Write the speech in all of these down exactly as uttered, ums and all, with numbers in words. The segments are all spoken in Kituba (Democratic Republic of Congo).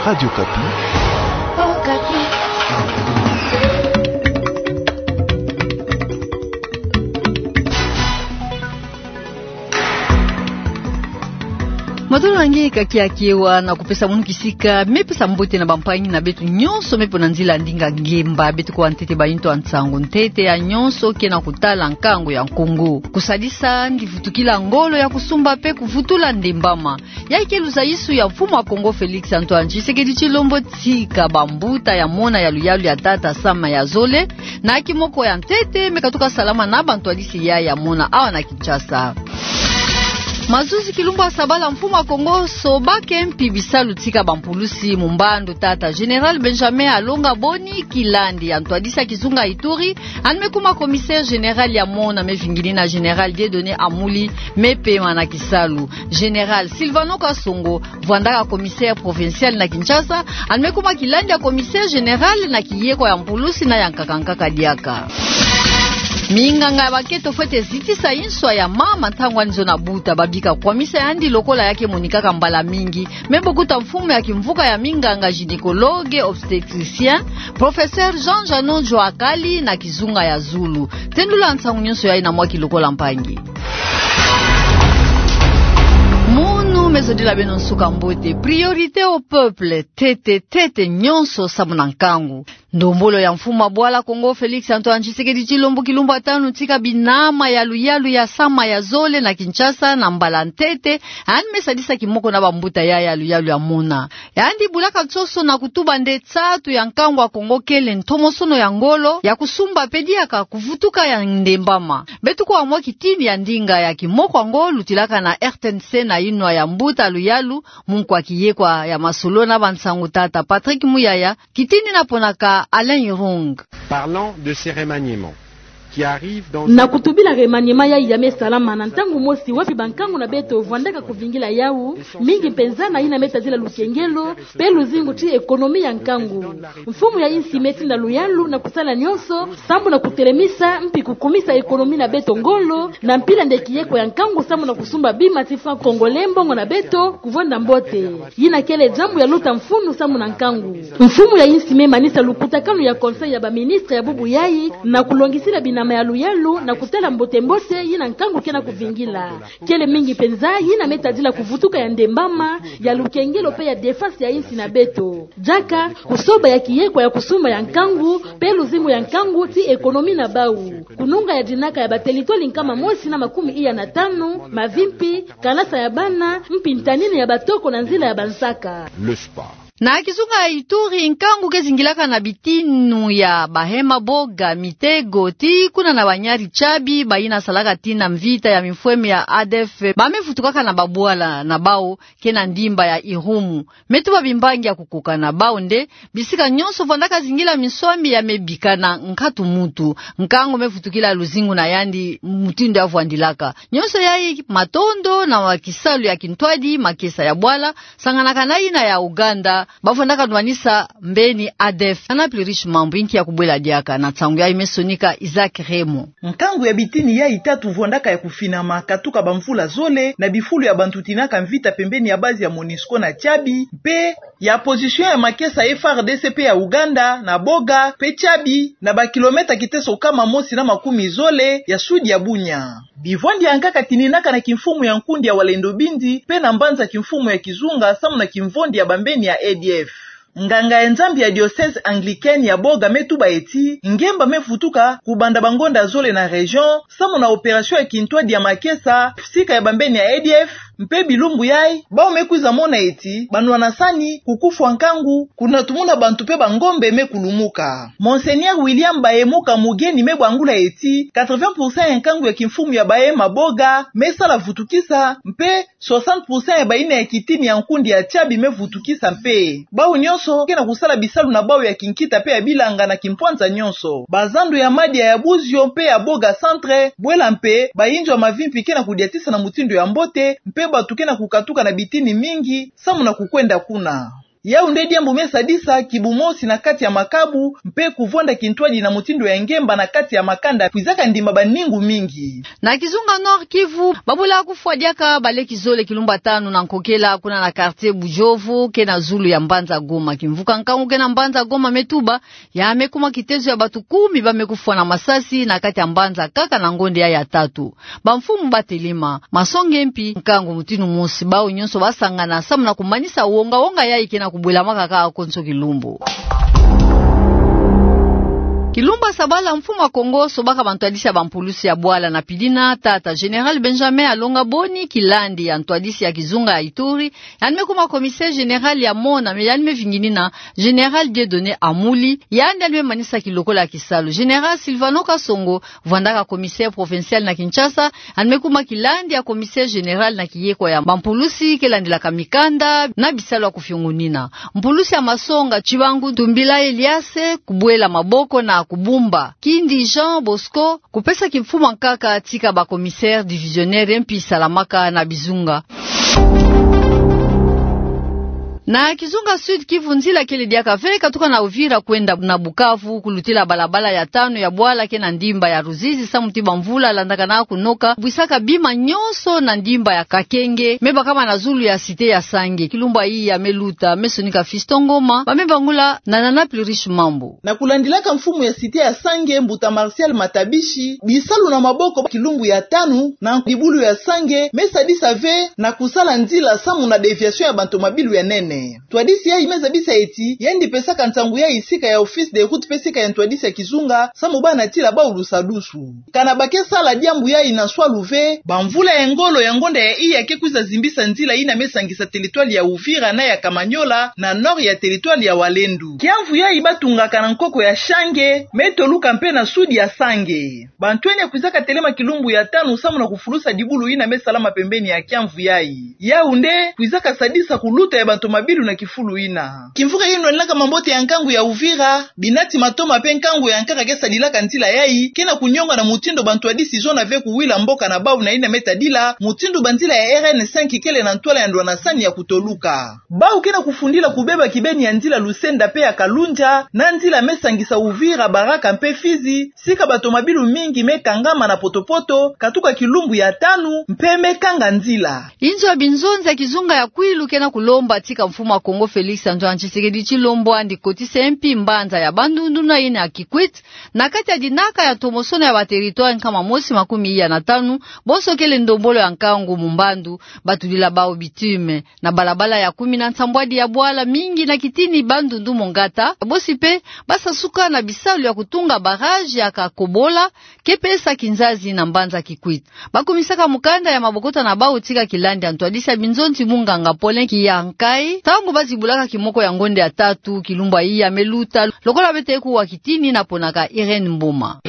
Radio Okapi. Matolo na nge ka kiakiwa na kupesa munu kisika, me pesa mbote na bampangi na beto nyonso me pona nzila ndinga ngemba. Beto kwa ntete ba intu ya nsangu ntete ya nyonso ke na kutala nkangu ya Kongo. Kusadisa yandi vutukila ngolo ya kusumba pe kuvutula ndembama. Yayi ke luzayisu ya mfumu ya Kongo Félix Antoine Tshisekedi Tshilombo tika bambuta ya mona ya luyalu ya tata Sama ya zole, na kimoko ya ntete me katuka salama na bantwadisi yayi ya mona awa na Kinshasa. Mazuzi kilumbu ya sabala mfumu ya Kongo sobake mpi bisalu tika bampulusi mu mbandu tata Général Benjamin Alonga Boni Kilandi ya ntwadisi ya kizunga Ituri, yandi me kuma commissaire général ya mona me vingini na Général Dieudonné Amuli me pema na kisalu. Général Sylvano Kasongo vwandaka commissaire provincial na Kinshasa, yandi me kuma kilandi ya commissaire général na kiyekwa ya mpulusi na ya nkaka nkaka diaka. Minganga ya bakento fwete zitisa inswa ya mama ntangu yandi zono buta, babika kwamisa yandi lokola ya ke monikaka mbala mingi. Me bokuta mfumu ya kimvuka ya minganga gynécologue obstétricien, professeur Jean Janon Joakali na kizunga ya zulu. Tendula nsangu nyonso yayi na mwa kilokola mpangi. Munu me zodila beno nsuka mbote. Priorité au peuple, tete, tete nyonso samu na nkangu. Ndombolo ya mfumu ya bwala Kongo Félix Antoine Tshisekedi Tshilombo kilumbu ya tanu tika binama ya luyalu ya Sama ya zole na Kinshasa na mbala ntete, yandi me sadisa kimoko na bambuta yayi ya luyalu ya mona. Yandi bulaka nsoso na kutuba nde nsatu ya nkangu ya Kongo kele ntomosono ya ngolo ya kusumba pe diaka kuvutuka ya ndembama. Beto kwa mwa kitini ya ndinga ya kimoko yango lutilaka na R T N C na inwa ya mbuta luyalu, munkwa kiyekwa ya masolo na bansangu tata Patrick Muyaya, kitini na ponaka Alain Irung. Parlant de ces remaniements qui arrivent dans... Na kutubila remaniement yayi ya me salama na ntangu mosi wapi bankangu na beto vwandaka kuvingila yawu, mingi mpenza na yina me tadila lukengelo pe luzingu ti économie ya nkangu. Mfumu ya insi me tinda luyalu na kusala nyonso sambu na kutelemisa mpi kukumisa économie na beto ngolo, na mpila nde kiyekwa ya nkangu samu na kusumba bima ti franc congolais mbongo na beto kuvonda mbote. Yina kele jambu ya luta mfunu samu na nkangu. Mfumu ya insi me manisa lukutakanu ya conseil ya baministre ya bubu yayi na kulongisila binama ya luyalu na kutala mbote-mbote yina nkangu ke na kuvingila. Kele mingi mpenza yina me tadila kuvutuka ya ndembama, ya lukengelo pe ya défense ya insi na beto. Diaka kusoba ya kiyekwa ya kusumba ya nkangu pe luzingu ya nkangu ti économie na bawu. Kununga ya dinaka ya bateritwali nkama mosi na makumi iya na tanu, mavimpi, kalasa ya bana, mpi ntanini ya batoko na nzila ya bansaka. Le sport. Na kizunga ya Ituri, nkangu ke zingilaka na bitinu ya bahe maboga, mitego, tii kuna na banyari Tchabi, bayina salaka tii na mvita ya mifweme ya A D F, ba me vutukaka na babwala na bawu ke na ndimba ya Irumu. Me tuba bimbangi ya kukokana, bawu nde bisika nyonso vandaka zingila minswami ya me bika na nkatu muntu. Nkangu me vutukila luzingu na yandi mutindu ya vwandilaka. Nyonso yayi matondo na wa kisalu ya kintwadi, makesa ya bwala, sanganaka na yina ya Ouganda, ba vandaka nwanisa mbeni A D F. Ana Plurish Mambu inki ya kubwela diaka na nsangu yayi me sonika Isaac Remo. Nkangu ya bitini yayi tatu vwandaka ya kufinama katuka bamvula zole na bifulu ya bantu tinaka mvita pembeni ya base ya MONUSCO na Tchabi, mpe ya position ya makesa F A R D C pe ya Ouganda na Boga pe Tchabi, na ba kilomètre kiteso kama mosi na makumi zole ya sud ya Bunia. Bivwandi ya nkaka tininaka na kimfumu ya nkundi ya Wazalendo Bindi pe na mbanza kimfumu ya kizunga samu na kimvondi ya bambeni ya A D F. Nganga ya Nzambi ya diocèse anglicaine ya Boga me tuba eti ngemba me vutuka kubanda bangonda zole na région samu na opération ya kintwadi ya makesa sika ya bambeni ya A D F, mpe bilumbu yayi bawu me kwiza mona eti banwanasani, kukufwa nkangu, kunatumuna bantu mpe bangombe me kulumuka. Monseigneur William Bahemuka, mugeni, me bangula eti quatre-vingts pour cent ya nkangu ya kimfumu ya bahe maboga me sala vutukisa, mpe soixante pour cent ya bayina ya kitini ya nkundi ya Tchabi me vutukisa mpe. Bawu nyonso ke na kusala bisalu na bawu ya kinkita mpe ya bilanga na kimpwanza nyonso. Bazandu ya Madia, ya Buzio mpe ya Boga centre, bwela mpe bayinzo ya mavimpi ke na kudiatisa na mutindu ya mbote, mpe bantu ke na kukatuka na bitini mingi samu na kukwenda kuna. Yau nde diambu me sadisa kibu mosi na kati ya makabu, mpe kuvwanda kintwadi na mutindu ya ngemba na kati ya makanda kwizaka ndimba baningu mingi. Na kizunga Nord Kivu, babula kufwa diaka baleki zole kilumbu tanu na nkokela kuna na quartier Bujovu, ke na zulu ya mbanza Goma. Kimvuka nkangu ke na mbanza Goma me tuba, ya me kuma kitezo ya bantu kumi ba me kufwa na masasi na kati ya mbanza kaka na ngonde ya, ya tatu. Bamfumu batelema, masonge mpi, nkangu mutindu mosi, bau nyonso basangana samu na kumanisa wonga-wonga yayi ke na kubwela makaka konso kilumbu. Kilumbu ya sabala, mfumu ya Kongo sobaka bantwadisi ya bampulusi ya bwala na pidina tata Général Benjamin alonga boni kilandi ya ntwadisi ya kizunga ya Ituri, yandi me kuma commissaire général ya mona, me yandi me vinginina Général Dieudonné Amuli, yandi yandi me manisa kilokola ya kisalu. Général Sylvano Kasongo, vwandaka commissaire provincial na Kinshasa, yandi me kuma kilandi ya commissaire général na kiyekwa ya bampulusi ke landilaka mikanda na bisalu ya kufiongunina. Mpulusi ya masonga Tshibangu Tumbila Eliase kubwela maboko na kubumba Kindi Jean Bosco, kupesa kimfumu ya nkaka tika ba commissaire divisionnaire mpi salamaka na bizunga. Na kizunga Sud Kivu, nzila kele diaka ve katuka na Uvira kwenda na Bukavu, kulutila balabala ya tanu ya bwala ke na ndimba ya Ruzizi, samu ti bamvula landakana kunoka, bwisaka bima nyonso na ndimba ya Kakenge, me bakama na zulu ya cité ya Sange. Kilumbu yayi ya me luta, me sonika Fiston Ngoma, ba me bangula na Nana Pluriche Mambu. Na kulandilaka mfumu ya cité ya Sange, mbuta Martial Matabishi, bisalu na maboko kilumbu ya tanu na dibulu ya Sange me sadisa ve na kusala nzila samu na déviation ya bantomabilu ya nene. Ntwadisi yayi me zabisa ti yandi pesaka nsangu yayi sika ya office de route mpe sika ya ntwadisi ya kizunga, samu ba natila bau lusadusu. Kana ba ke sala diambu yayi na swalu ve, bamvula ya ngolo ya ngonda ya iya ke kwiza zimbisa nzila yina me sangisa territoire ya Uvira na ya Kamanyola na nord ya territoire ya Walendu. Kiamvu yayi batungaka na nkoko ya Sange me toluka mpe na sud ya Sange. Bantwenya kwizaka telema kilumbu ya tanu samu na kufulusa dibulu yina me salama pembeni ya kiamvu yayi. Yau nde kwizaka sadisa kuluta ya bantomabilu na kifulu yina. Kimvuka yeno laka mambote ya nkangu ya Uvira, binati matoma mpe nkangu ya nkaka ke sadilaka nzila yayi, ke na kunionga na mutindu bantwadisi zona ve kuwila mboka na bau na yina me tadila mutindu banzila ya R N cinq kele na ntwala ya ndwanasani ya kutoluka. Bau ke na kufundila kubeba kibeni ya nzila Lusenda mpe ya Kalunja, na nzila me sangisa Uvira, Baraka mpe Fizi, sika batomabilu mingi me kangama na potopoto katuka kilumbu ya tanu mpe me kanga nzila. Inzo ya binzonzi ya kizunga ya Kwilu ke na kulomba tika mfumu ya Kongo Félix Antoine Tshisekedi Tshilombo andi kotisa mpi mbanza ya Bandundu na yina ya Kikwit na kati ya dinaka ya ntomosono ya ba territoire nkama mosi makumi iya na tanu, bonso kele ndombolo ya nkangu mu mbandu, batudila bau bitume. Na balabala ya kumi na nsambwadi ya bwala mingi na kitini Bandundu Mongata, bosi mpe basasuka na bisalu ya kutunga barrage ya Kakobola, ke pesa kinzazi na mbanza Kikwit. Bakumisaka mukanda ya mabokota na bau tika kilandi ya ntwadisi ya binzonzi munganga Paulin Kiyankai, ntangu bazibulaka kimoko ya ngonda ya tatu kilumbu yayi ya me luta, lokola beto kuwa kitini na ponaka Irène Mboma.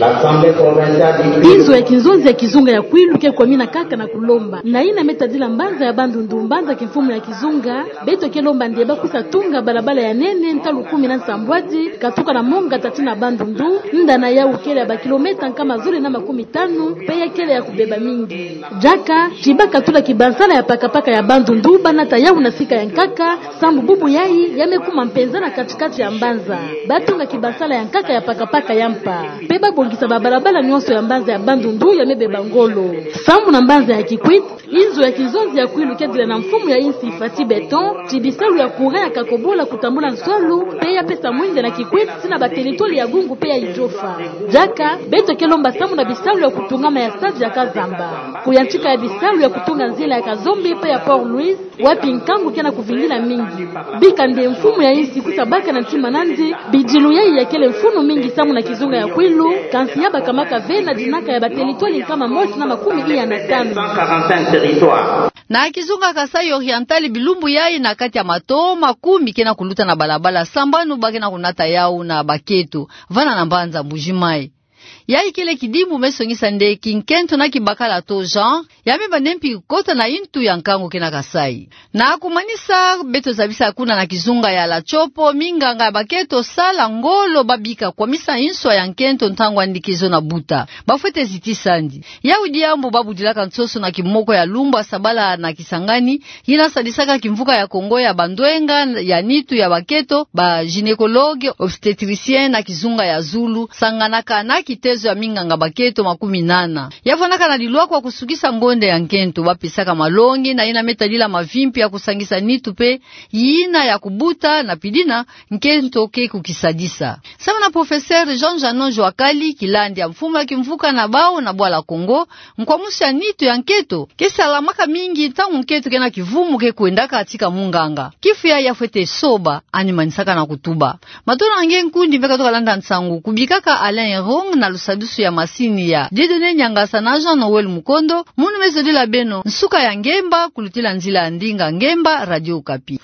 Inzo ya kinzonzi ya kizunga ya Kwilu ke kwamina kaka na kulomba. Na yina me tadila mbanza ya Bandundu mbanza kimfumu ya kizunga, beto ke lomba nde bakwisa tunga balabala ya nene ntalu kumi na nsambwadi, katuka na Mongata tii na Bandundu, nda na yau kele ya ba kilomètre nkama zole na makumi tanu, mpe ya kele ya kubeba mingi. Diaka, ti bakatula kibansala ya pakapaka ya Bandundu, banata yau na sika ya nkaka, samu bubu yayi ya me kuma mpenza na katikati ya mbanza. Batunga kibansala ya nkaka ya pakapaka ya mpa. Mpe babongisa babalabala nyonso ya mbanza ya Bandundu ya me beba ngolo. Samu na mbanza ya Kikwit, inzo ya kinzonzi ya Kwilu ke dila na mfumu ya insi Fatshi Beton ti bisalu ya courant ya Kakobola kutambula nswalu, mpe ya pesa mwinda na Kikwit tii na ba territoire ya Gungu mpe ya Idiofa. Diaka, beto ke lomba samu na bisalu ya kutungama ya stade ya Kazamba. Kuyantika ya bisalu ya kutunga nzila ya Kazombe mpe ya Port Louis, wapi nkangu ke na kuvingila mingi. Bika nde mfumu ya insi kwisa baka na ntima nandi, bidilu yayi ya kele mfunu mingi samu na kizunga ya Kwilu, kansi ya bakamaka ve na dinaka ya ba territoire nkama mosi na makumi iya na tanu. Na kizunga Kasaï Oriental, bilumbu yayi na kati ya matoma kumi ke na kuluta na balabala sambanu ba ke na kunata yau na baketo, vana na mbanza Mbuji-Mayi. Ya ikele kidimbu mesongisa nde kinkento na kibakala taux genre ya me bane mpi kota na yintu ya nkangu ke na Kasaï. Na kumanisa, beto zabisa kuna na kizunga ya La Tshopo minganga ya bakento sala ngolo ba bika kwamisa nswa ya nkento ntangu andi ke zona buta. Bafwete zitisa andi. Yawu diambu ba budilaka nsoso na kimoko ya lumbu ya sabala na Kisangani, yina sadisaka kimvuka ya Kongo ya bandwenga ya nitu ya bakento, ba gynécologue obstétricien na kizunga ya zulu, sanganaka na kitezo ya minganga bakento makumi nana. Ya vwandaka na dilwakwa kusukisa ngonde ya nkento, ba pesaka malongi na yina me tadila mavimpi ya kusangisa nitu mpe yina ya kubuta na pidina nkento ke kukisadisa. Samu na professeur Jean Janon Joakali, kilandi ya mfumu ya kimvuka na bawu na bwala Kongo, nkwamusu ya nitu ya nkento ke salamaka mingi ntangu nkento ke na kivumu ke kwendaka tika munganga. Kifu yayi ya fwete soba, ani manisaka na kutuba. Matondo na nge nkundi mpe katoka landa nsangu, kubikaka Alain Erong na lusadusu ya masini ya Dieudonné Niangasa na Jean Noël Mukondo, munu me zodila beno nsuka ya ngemba, kulutila nzila ya ndinga ngemba, Radio Okapi.